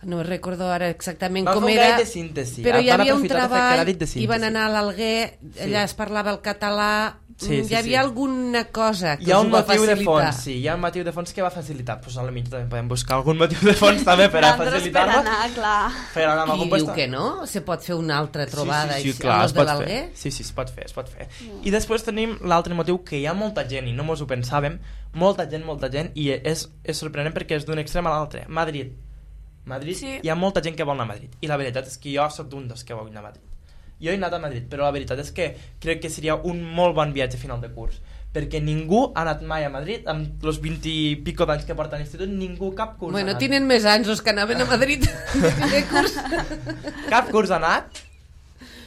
No recordo ara exactament com era. Van fer un gaire de síntesi. Però hi havia un treball, i van anar a l'Alguer, allà es parlava el català, hi havia alguna cosa que us ho va facilitar. Hi ha un motiu de fons que va facilitar. Doncs a la mitja també podem buscar algun motiu de fons també per a facilitar-lo. Per anar, clar. Qui diu que no? Se pot fer una altra trobada sí, clar, es pot fer. Sí, es pot fer. I després tenim l'altre motiu, que hi ha molta gent, i no mos ho pensàvem, molta gent, i és sorprenent perquè és d'un extrem a l'altre. Madrid, hi ha molta gent que vol anar a Madrid, i la veritat és que jo soc d'un dels que vol anar a Madrid. Jo he anat a Madrid, però la veritat és que crec que seria un molt bon viatge a final de curs, perquè ningú ha anat mai a Madrid, amb els 20 i pico d'anys que porta a l'institut, ningú, cap curs ha anat. Tenen més anys els que anaven a Madrid de curs. Cap curs ha anat?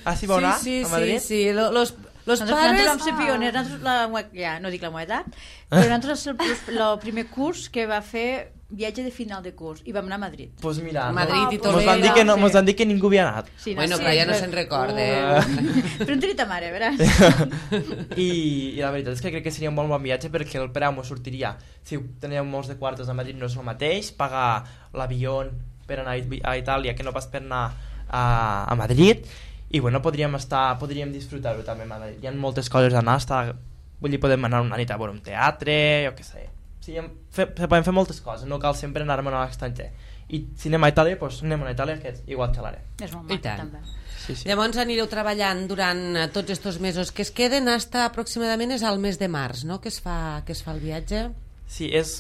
Així vau anar a Madrid? Sí, los pares... Nosaltres vam ser pioners, no dic la meva edat, però nosaltres el primer curs que va fer viatge de final de curs i vam anar a Madrid. Pues mira, Madrid i Toledo. Mos van dir que ningú havia anat. Sí, però ja no se'n recorda. Però en tenia ta mare, veràs? I la veritat és que crec que seria un bon viatge, perquè el preu mos sortiria, si teníeu molts de quartos a Madrid no és el mateix, pagar l'avió per anar a Itàlia que no pas per anar a Madrid, i podríem disfrutar-ho també a Madrid. Hi ha moltes coses a anar, podem anar una nit a veure un teatre, jo què sé. Sí, se poden fer moltes coses, no cal sempre anar-me'n a l'estranger. i si anem a Itàlia, doncs anem a Itàlia, que igual xalaré. És molt maco, també. Sí. Llavors anireu treballant durant tots aquests mesos que es queden hasta aproximadament és al mes de març, no?, que es fa el viatge. Sí, és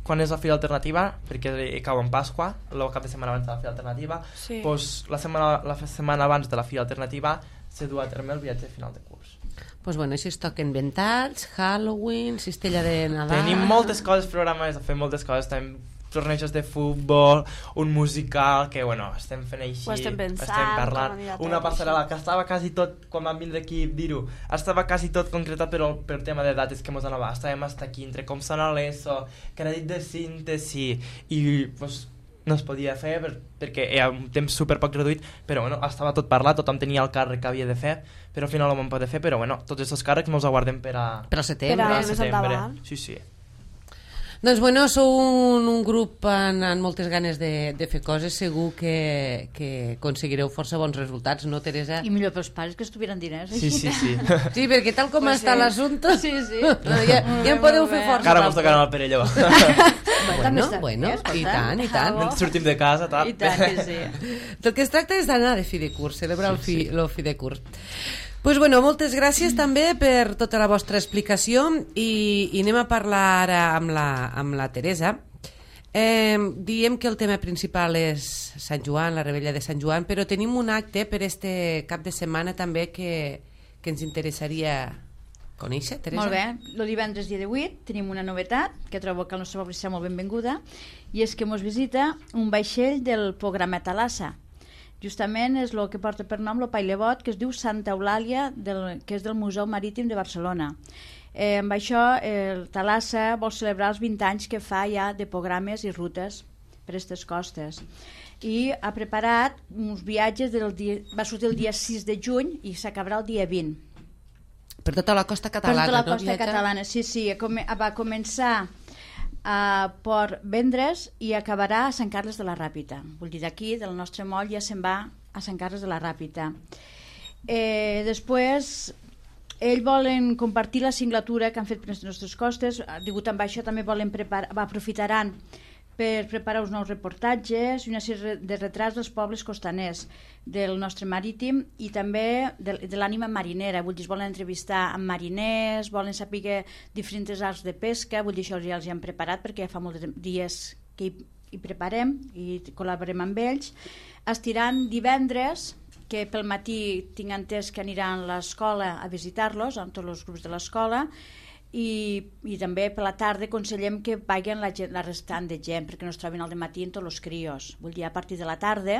quan és la Fira Alternativa, perquè cau en Pasqua, el cap de setmana abans de la Fira Alternativa, doncs la setmana abans de la Fira Alternativa se du a terme el viatge final de curs. Doncs bueno, així es toquen ventats, Halloween, cistella de Nadal... Tenim moltes coses programades, fem moltes coses, tenim tornejos de futbol, un musical, que bueno, estem fent així, ho estem pensant, estem parlant, una passarel·la que estava quasi tot, quan vam vindre aquí dir-ho, estava quasi tot concretat, però per tema de dates que mos anava, estàvem hasta aquí, entre com sona l'ESO, crèdit de síntesi, i pues, no es podia fer perquè hi ha un temps super poc reduït, però bueno, estava tot parlat, tothom tenia el càrrec que havia de fer, però al final no vam poder fer, però bueno, tots aquests càrrecs mos aguardem per a setembre. Per a més endavant. Sí. Doncs bueno, sou un grup amb moltes ganes de fer coses, segur que aconseguireu força bons resultats, no, Teresa? I millor pels pares que estuvieran diners. Sí. Sí, perquè tal com està l'assumpte, sí. ja en podeu fer força. Encara mos tocaran el Perelló. Bueno, i tant. Sortim de casa, tal. I tant que sí. Del que es tracta és d'anar de fi de curs, celebrar el fi de curs. Pues bueno, moltes gràcies també per tota la vostra explicació i anem a parlar ara amb la Teresa. Diem que el tema principal és Sant Joan, la rebella de Sant Joan, però tenim un acte per este cap de setmana també que ens interessaria conèixer, Teresa. Molt bé, el divendres dia 18 tenim una novetat que trobo que el nostre poble serà molt benvinguda, i és que ens visita un vaixell del programa Thalassa. Justament és el que porta per nom el Pailebot, que es diu Santa Eulàlia, que és del Museu Marítim de Barcelona. Amb això, el Thalassa vol celebrar els 20 anys que fa ja de programes i rutes per aquestes costes. I ha preparat uns viatges, va sortir el dia 6 de juny i s'acabarà el dia 20. Per tota la costa catalana, per tota la costa catalana, sí. Va començar a Port Vendres i acabarà a Sant Carles de la Ràpita. Vull dir, d'aquí, del nostre moll, ja se'n va a Sant Carles de la Ràpita. Després, ells volen compartir la singlatura que han fet per les nostres costes. Degut amb això, també aprofitaran per preparar uns nous reportatges i una sèrie de retrats dels pobles costaners del nostre marítim i també de l'ànima marinera. Vull dir, volen entrevistar amb mariners, volen saber diferents arts de pesca, vull dir, això ja els han preparat perquè ja fa molts dies que hi preparem i col·laborem amb ells. Estiran divendres, que pel matí tinc entès que aniran a l'escola a visitar-los, amb tots els grups de l'escola, i també per la tarda aconsellem que vagin la restant de gent perquè no es trobin al dematí en tots els crios. Vull dir, a partir de la tarda,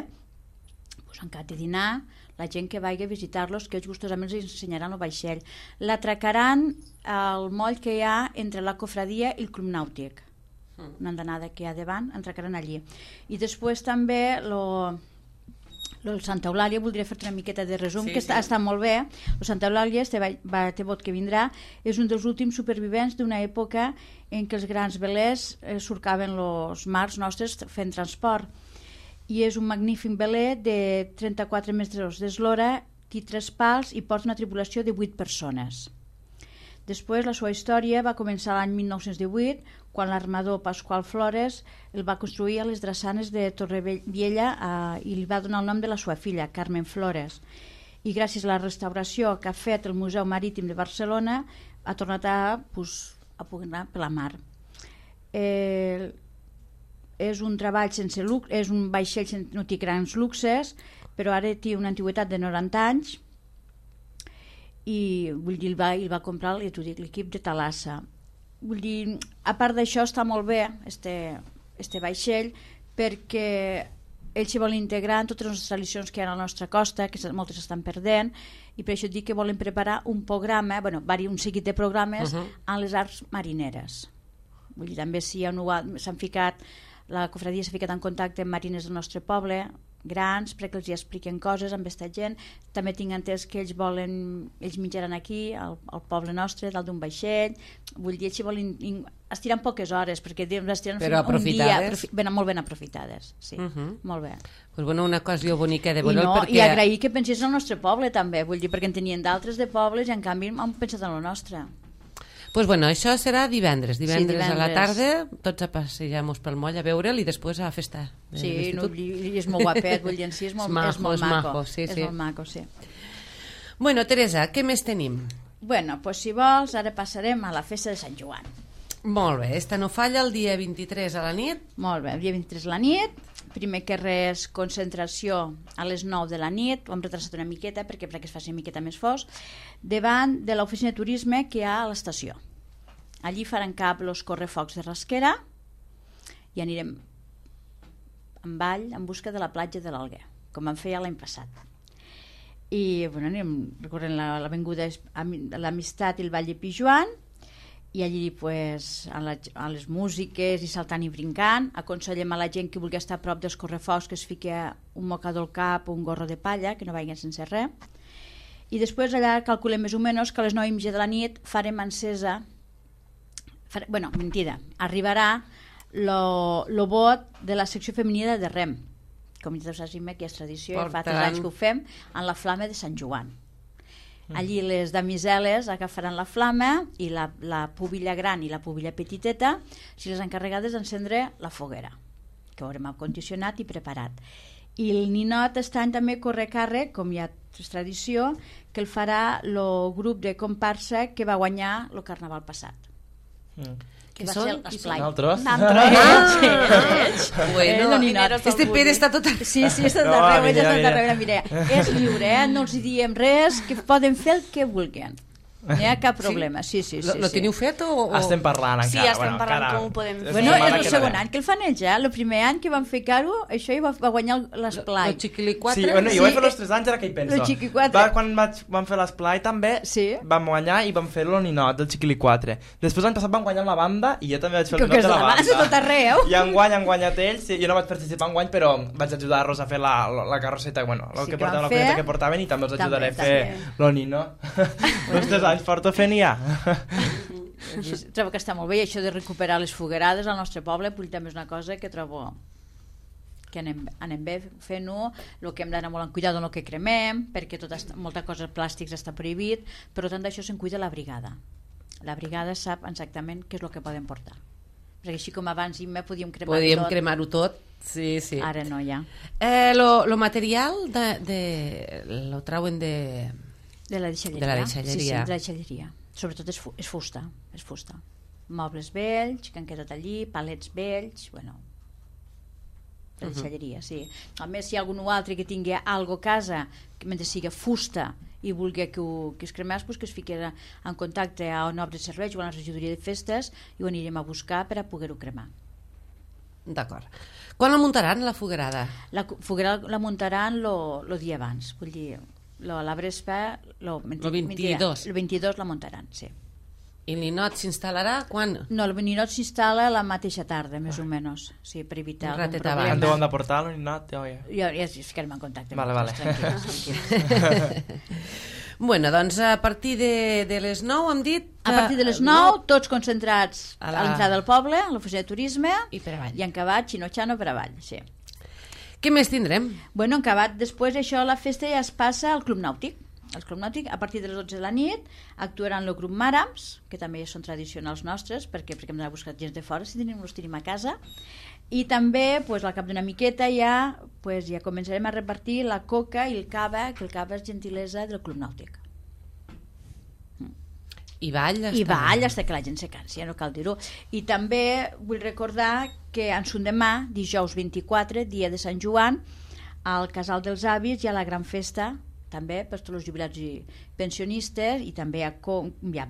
en cas de dinar, la gent que vagi a visitar-los, que ells gustosament els ensenyaran el vaixell. L'atracaran al moll que hi ha entre la cofradia i el club nàutic. Una andanada que hi ha davant, entracaran allí. I després també el Santa Eulàlia, voldria fer-te una miqueta de resum, que està molt bé. El Santa Eulàlia, este bot que vindrà, és un dels últims supervivents d'una època en què els grans velers surcaven els mars nostres fent transport. I és un magnífic veler de 34 metres d'eslora, té 3 pals i porta una tripulació de 8 persones. Després, la seva història va començar l'any 1918, quan l'armador Pasqual Flores el va construir a les drassanes de Torrevella i li va donar el nom de la seva filla, Carmen Flores. I gràcies a la restauració que ha fet el Museu Marítim de Barcelona, ha tornat a pugnar per la mar. És un treball sense luxe, és un vaixell que no té grans luxes, però ara té una antiguitat de 90 anys, i vull dir, el va comprar l'equip de Thalassa. Vull dir, a part d'això està molt bé este vaixell perquè ells s'hi volen integrar en totes les tradicions que hi ha a la nostra costa, que moltes estan perdent, i per això dic que volen preparar un programa, un seguit de programes a les arts marineres. Vull dir, també s'han ficat, la cofradia s'ha ficat en contacte amb mariners del nostre poble, grans, perquè els hi expliquen coses amb aquesta gent. També tinc entès que ells menjaran aquí, al poble nostre, dalt d'un vaixell. Vull dir, ells volen estirar poques hores, perquè estiran un dia molt ben aprofitades. Sí, molt bé. Pues bueno, una ocasió bonica de veure'l perquè... I agrair que pensés al nostre poble també, vull dir, perquè en tenien d'altres de pobles i en canvi han pensat en el nostre. Pues bueno, això serà divendres a la tarda, tots a passejar-nos pel moll a veure'l i després a la festa de l'institut. Sí, és molt guapet, vull dir, sí, és molt maco. Sí. És molt maco, sí. Bueno, Teresa, què més tenim? Bueno, pues si vols, ara passarem a la festa de Sant Joan. Molt bé, esta no falla el dia 23 a la nit. Molt bé, el dia 23 a la nit. Primer que res, concentració a les 9 de la nit, ho hem retrasat una miqueta perquè es faci una miqueta més fos, davant de l'oficina de turisme que hi ha a l'estació. Allí faran cap els correfocs de Rasquera i anirem en ball en busca de la platja de l'Alguer, com vam fer ja l'any passat. I bueno, anirem recorrent l'avinguda de l'Amistat i el Vall de Pijuan, i allí pues, a les músiques i saltant i brincant. Aconsellem a la gent que vulgui estar a prop dels correfocs que es fiqui un mocador al cap o un gorro de palla, que no vagin sense res. I després allà calculem més o menys que a les 9:30 de la nit farem encesa, mentida, arribarà lo vot de la secció femenina de REM. Com ja saps, que és tradició, fa 3 anys que ho fem, en la flama de Sant Joan. Allí les damiseles agafaran la flama i la pubilla gran i la pubilla petiteta, si les encarregades d'encendre la foguera, que ho haurem condicionat i preparat. I el ninot està també corre càrrec, com ja és tradició, que el farà el grup de comparsa que va guanyar el carnaval passat. Que són? Nosaltres? Bueno, este Pere està tot arreu. Sí, està tot arreu, mira, és lliure, no els diem res, que poden fer el que vulguin. No hi ha cap problema, sí. Lo teniu fet o...? Estem parlant encara. Sí, estem parlant com ho podem fer. Bueno, és el segon any que el fan ells, el primer any que van fer caro, això ja va guanyar l'esplai. El Chiquili 4? Sí, bueno, jo vaig fer els 3 anys, ara que hi penso. El Chiqui 4. Quan vam fer l'esplai també, vam guanyar i vam fer el ninot del Chiquili 4. Després l'any passat vam guanyar la banda i jo també vaig fer el ninot de la banda. Tot arreu. I enguany han guanyat ells, jo no vaig participar enguany, però vaig ajudar-los a fer la carrosseta, bueno, el que portaven, la colleta que portaven, i també els ajudaré a fer el ninot. Els 3 anys porto fent ja. Trobo que està molt bé, i això de recuperar les foguerades al nostre poble també és una cosa que trobo que anem bé fent-ho. El que hem d'anar molt en cuidado en el que cremem, perquè molta cosa plàstics està prohibit, però tant d'això se'n cuida la brigada. La brigada sap exactament què és el que poden portar, perquè així com abans podíem cremar-ho tot. Sí. Ara no, ja. Lo material lo trauen de la deixalleria. Sí, de la deixalleria. Sobretot és fusta. Mobles vells, que han quedat allí, palets vells, bueno, de deixalleria, sí. A més, si hi ha algun altre que tingui algo a casa, que mentre sigui fusta i vulgui que es cremés, que es fiqui en contacte a una obra de serveis o a la regidoria de festes i ho anirem a buscar per a poder-ho cremar. D'acord. Quan la muntaran, la foguerada? La foguerada la muntaran el dia abans, vull dir... La Brespa, el 22. El 22 la muntaran, sí. I el ninot s'instal·larà quan? No, el ninot s'instal·la la mateixa tarda, més o menys, sí, per evitar algun problema. Quan deuen de portar el ninot? Ja es ficarem en contacte. Vale. Bueno, doncs a partir de les 9 hem dit... A partir de les 9, tots concentrats a l'entrada del poble, a l'oficina de turisme, i per avall. I en acabat, xino-xano per avall, sí. Què més tindrem? Bueno, en acabat, després això, la festa ja es passa al Club Nàutic. El Club Nàutic, a partir de les 12 de la nit, actuaran el grup Màrams, que també són tradicionals nostres, perquè hem d'anar a buscar gent de fora, si els tenim a casa. I també, al cap d'una miqueta, ja començarem a repartir la coca i el cava, que el cava és gentilesa del Club Nàutic. I ball hasta que la gent se cansi, no cal dir-ho. I també vull recordar que en son demà, dijous 24, dia de Sant Joan, al Casal dels Avis hi ha la gran festa, també per tots els jubilats i pensionistes, i també hi ha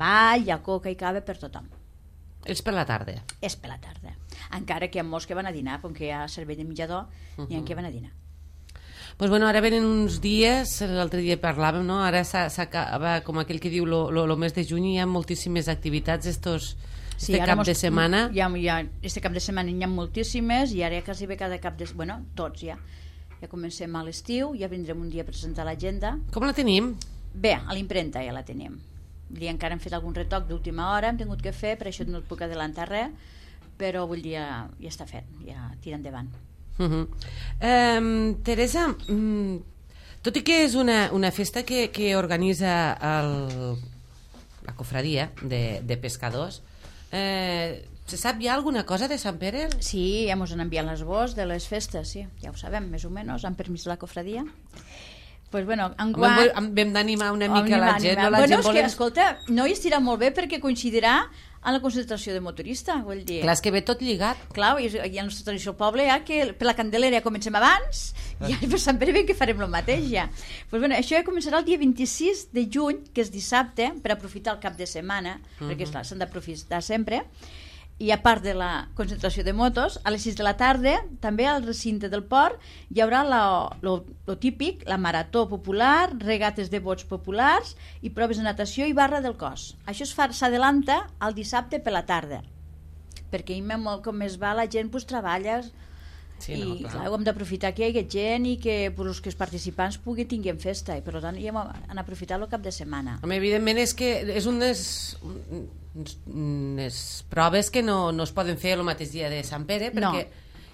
ball, hi ha coca i cava per tothom. És per la tarda? És per la tarda. Encara que hi ha molts que van a dinar, com que hi ha servei de menjador, hi ha que van a dinar. Pues bueno, ara venen uns dies, l'altre dia parlàvem, no? Ara s'acaba, com aquell que diu, el mes de juny, hi ha moltíssimes activitats cap de setmana. Este cap de setmana hi ha moltíssimes, i ara ja quasi ve cada cap de... Bueno, tots ja. Ja comencem a l'estiu, ja vindrem un dia a presentar l'agenda. Com la tenim? Bé, a l'impremta ja la tenim. Encara hem fet algun retoc d'última hora, hem tingut que fer, per això no et puc adelantar res, però vull dir, ja està fet, ja tira endavant. Teresa, tot i que és una festa que organitza la cofradia de pescadors. Se sap ja alguna cosa de Sant Pere? Sí, ja ens han enviat l'esbós de les festes, sí, ja ho sabem, més o menys, amb permís de la cofradia. Pues bueno, vam d'animar una mica la gent. Bueno, és que, escolta, no hi estirà molt bé perquè coincidirà amb la concentració de motorista, vull dir. Clar, és que ve tot lligat. Clar, i a la nostra tradició al poble ja que per la Candelera ja comencem abans i per Sant Pere ben que farem el mateix ja. Pues bueno, això ja començarà el dia 26 de juny, que és dissabte, per aprofitar el cap de setmana, perquè clar, s'han d'aprofitar sempre. I a part de la concentració de motos, a les 6 de la tarda, també al recinte del port, hi haurà lo típic, la marató popular, regates de bots populars i proves de natació i barra del cos. Això s'adelanta al dissabte per la tarda, perquè molt com es va la gent pues, treballa i clar, ho hem d'aprofitar que hi hagi gent i que els participants tinguin festa i per tant ja han aprofitat el cap de setmana. Evidentment és que és unes proves que no es poden fer el mateix dia de Sant Pere perquè,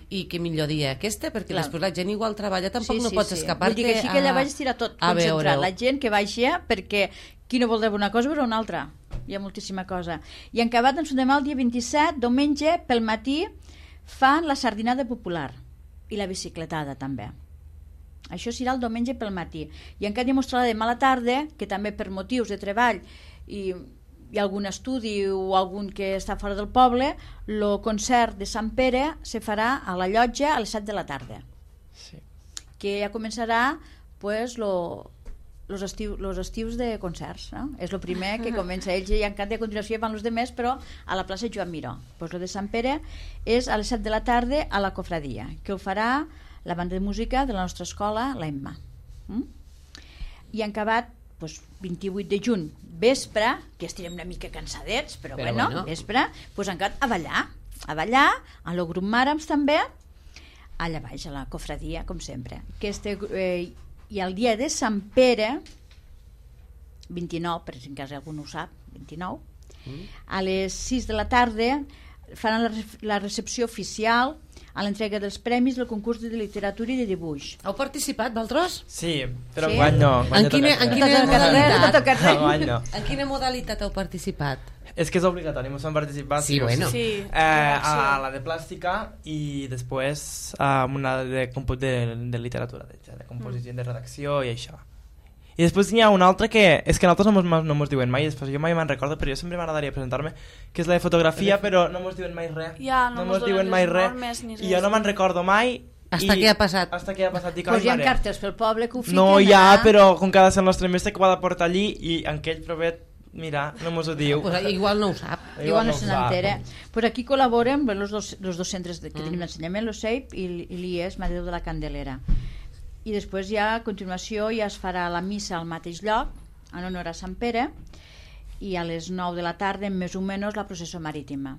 i que millor dia aquesta perquè després la gent igual treballa, tampoc no pots escapar-te. Vull dir que així que allà vaig estirar tot concentrat, la gent que vagi perquè qui no vol veure una cosa veure una altra, hi ha moltíssima cosa. I en acabat ens demà el dia 27, diumenge pel matí fan la sardinada popular i la bicicletada també. Això serà el diumenge pel matí i encara demostrarà demà a la tarda que també per motius de treball i algun estudi o algun que està fora del poble, el concert de Sant Pere se farà a la llotja a les 7 de la tarda, que ja començarà pues, los estius de concerts, no? És el primer que comença ells i encara a continuació van els demés, però a la plaça Joan Miró. Pues el de Sant Pere és a les 7 de la tarda a la cofradia, que ho farà la banda de música de la nostra escola, l'Emma. I en acabat pues, 28 de juny, vespre, que estirem una mica cansadets, però bueno, vespre, pues encara a ballar, a lo grup Màrams també, allà baix, a la cofradia, com sempre. I el dia de Sant Pere, 29, per si en cas algú no ho sap, 29, a les 6 de la tarda faran la recepció oficial a l'entrega dels premis del concurs de literatura i de dibuix. Heu participat, vosaltres? Sí, però enguany no. En quina modalitat heu participat? És que és obligatori, ens han participat. Sí, bueno. A la de plàstica i després a una de literatura, de composició, de redacció i això. I després n'hi ha una altra que és que nosaltres no mos diuen mai, després jo mai me'n recordo, però jo sempre m'agradaria presentar-me, que és la de fotografia, però no mos diuen mai res. Ja, no mos diuen mai res. I jo no me'n recordo mai. Hasta que ha passat. Pues hi ha cartes pel poble que ho fiquen. No hi ha, però com que ha de ser el nostre mestre que ho ha de portar allí i en aquell provet, mira, no mos ho diu. Pues igual no ho sap. Igual no se n'entera. Pues aquí col·laboren els dos centres que tenim d'ensenyament, l'OSEIP i l'IES, Mare de Déu de la Candelera. I després ja a continuació ja es farà la missa al mateix lloc en honor a Sant Pere i a les 9 de la tarda més o menys la processó marítima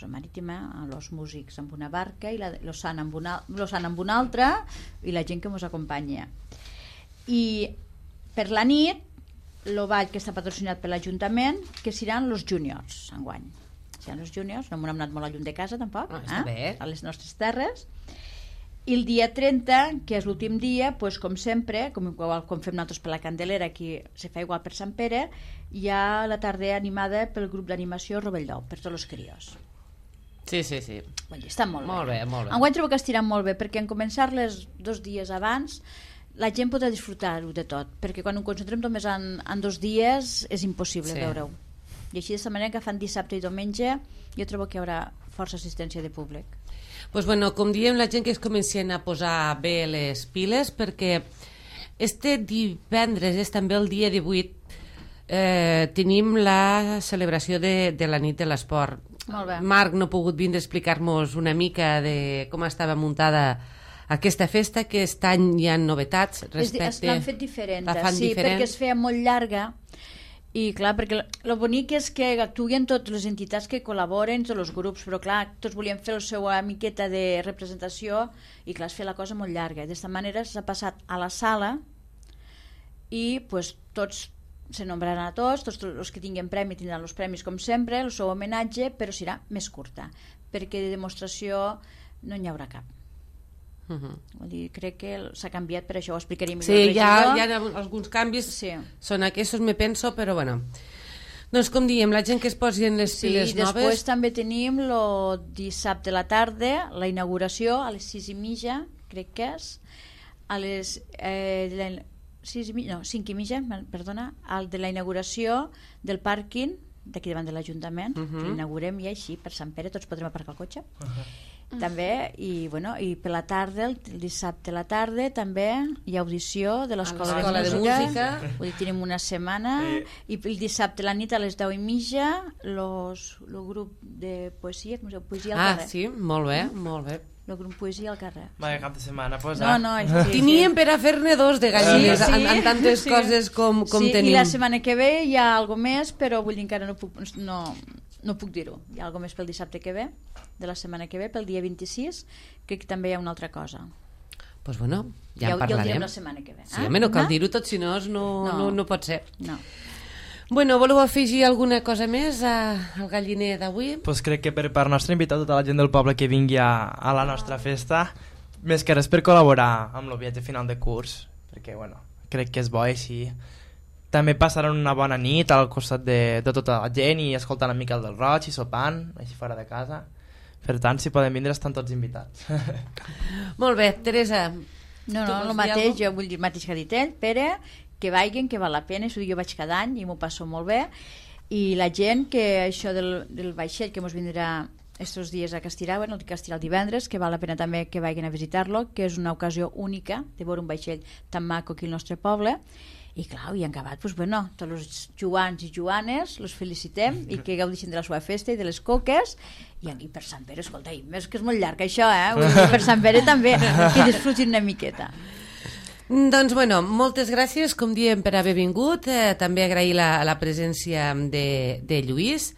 amb els músics amb una barca i lo sant amb una altra i la gent que ens acompanya. I per la nit el ball que està patrocinat per l'Ajuntament, que seran els júniors enguany. Seran els júniors, no m'ho hem anat molt a lluny de casa tampoc, a les nostres terres. I el dia 30, que és l'últim dia, pues, com sempre, com fem nosaltres per la Candelera, aquí se fa igual per Sant Pere, hi ha la tarda animada pel grup d'animació Rovelló, per tots els crios. Sí. Bon, està molt bé. Enguany trobo que estiran molt bé, perquè en començar-les 2 dies abans la gent podrà disfrutar-ho de tot, perquè quan ho concentrem només en 2 dies és impossible veure-ho. I així d'aquesta manera que fan dissabte i diumenge jo trobo que hi haurà força assistència de públic. Pues bueno, com diem, la gent que es comencen a posar bé les piles, perquè este divendres és també el dia 18, tenim la celebració de la nit de l'esport. Marc no ha pogut vindre a explicar-nos una mica de com estava muntada aquesta festa, que aquest any hi ha novetats respecte... L'han fet diferent, sí, perquè es feia molt llarga. I clar, perquè el bonic és que actuen totes les entitats que col·laboren, tots els grups, però clar, tots volien fer la seva miqueta de representació i clar, es feia la cosa molt llarga. D'esta manera s'ha passat a la sala i pues, tots se nombraran a tots els que tinguin premi tindran els premis com sempre, el seu homenatge, però serà més curta, perquè de demostració no n'hi haurà cap. Vull dir, crec que s'ha canviat, per això ho explicaria millor. Sí, hi ha alguns canvis, són aquests, me penso, però bueno. Doncs com diem, la gent que es posi en les piles noves... Sí, després també tenim el dissabte a la tarda, la inauguració a les 6:30, crec que és, a les 5:30, perdona, el de la inauguració del pàrquing d'aquí davant de l'Ajuntament, que l'inaugurem i així, per Sant Pere, tots podrem aparcar el cotxe. També, i per la tarda, el dissabte a la tarda, també hi ha audició de l'Escola de Música. Vull dir, tenim una setmana, i el dissabte a la nit a les 10:30, el grup de poesia, com es diu? Poesia al carrer. Ah, sí, molt bé, molt bé. El grup Poesia al carrer. Vaya cap de setmana, pues. No, teníem per a fer-ne dos de gallines, en tantes coses com tenim. I la setmana que ve hi ha alguna més, però vull dir, encara no puc dir-ho. Hi ha alguna més pel dissabte que ve, de la setmana que ve, pel dia 26, crec que també hi ha una altra cosa. Doncs bueno, ja en parlarem. Ja ho direm la setmana que ve. Sí, home, no cal dir-ho tot, si no pot ser. No. Bueno, voleu afegir alguna cosa més al galliner d'avui? Pues crec que per part nostra invitar tota la gent del poble que vingui a la nostra festa, més que res per col·laborar amb el viatge final de curs, perquè bueno, crec que és bo així. També passaran una bona nit al costat de tota la gent i escoltant a Miquel del Roig i sopant, així fora de casa. Per tant, si poden vindre estan tots invitats. Molt bé, Teresa. No, el mateix, jo vull dir el mateix que ha dit ell, Pere, que vagin, que val la pena, jo vaig cada any i m'ho passo molt bé, i la gent que això del vaixell que ens vindrà estos dies a Castirà, bueno, el divendres, que val la pena també que vagin a visitar-lo, que és una ocasió única de veure un vaixell tan maco aquí al nostre poble. I clar, i en acabat, doncs bueno, tots els joans i joanes els felicitem i que gaudeixin de la seva festa i de les coques, i per Sant Pere, escolta, és que és molt llarg això, per Sant Pere també, que disfrutin una miqueta. Doncs bueno, moltes gràcies, com diem, per haver vingut, també agrair la presència de Lluís.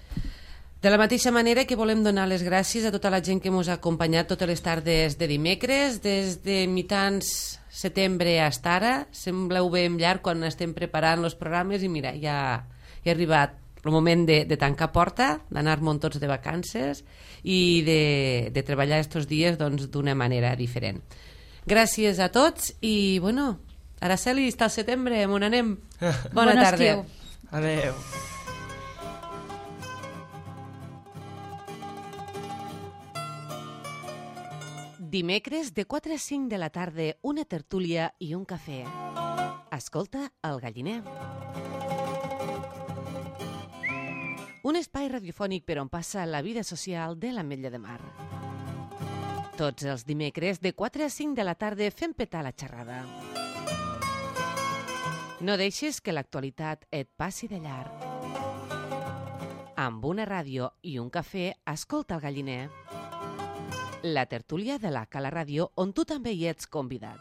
De la mateixa manera que volem donar les gràcies a tota la gent que ens ha acompanyat totes les tardes de dimecres, des de mitjans setembre fins ara. Sembleu ben llarg quan estem preparant els programes i mira, ja ha arribat el moment de tancar porta, d'anar-me'n tots de vacances i de treballar estos dies d'una manera diferent. Gràcies a tots i bueno, Araceli, està al setembre, on anem? Bona tarda. Adéu. Dimecres de 4 a 5 de la tarda, una tertúlia i un cafè. Escolta el galliner. Un espai radiofònic per on passa la vida social de l'Ametlla de Mar. Tots els dimecres de 4 a 5 de la tarda fem petar la xerrada. No deixis que l'actualitat et passi de llarg. Amb una ràdio i un cafè, escolta el galliner. La tertúlia de la Cala Ràdio, on tu també hi ets convidat.